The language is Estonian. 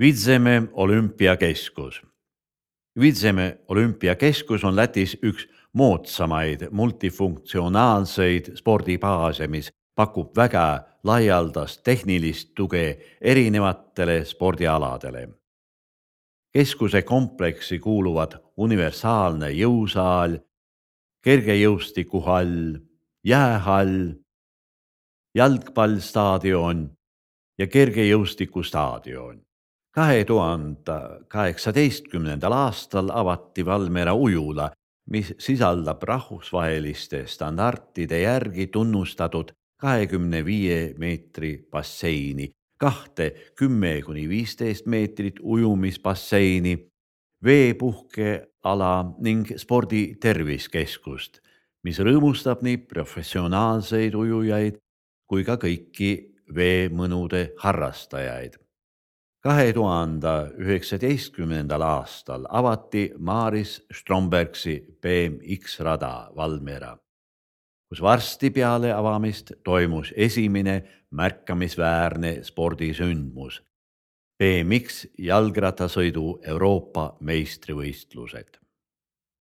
Vidzeme olümpiakeskus. Vidzeme olümpiakeskus on Lätis üks moodsamaid multifunktsionaalseid spordibaase, mis pakub väga laialdast tehnilist tuge erinevatele spordialadele. Keskuse kompleksi kuuluvad universaalne jõusaal, kergejõustikuhall, jäähall, jalgpallstaadion ja kergejõustikustaadion. 2018. aastal avati Valmiera ujula, mis sisaldab rahvusvaheliste standardide järgi tunnustatud 25 meetri basseini, 10–15 meetrit ujumisbasseini, veepuhkeala ning spordi terviskeskust, mis rõõmustab nii professionaalseid ujujaid kui ka kõiki veemõnude harrastajaid. 2019. aastal avati Maris Strombergsi BMX-rada Valmiera, kus varsti peale avamist toimus esimene märkamisväärne spordisündmus, BMX jalgrattasõidu Euroopa meistrivõistlused.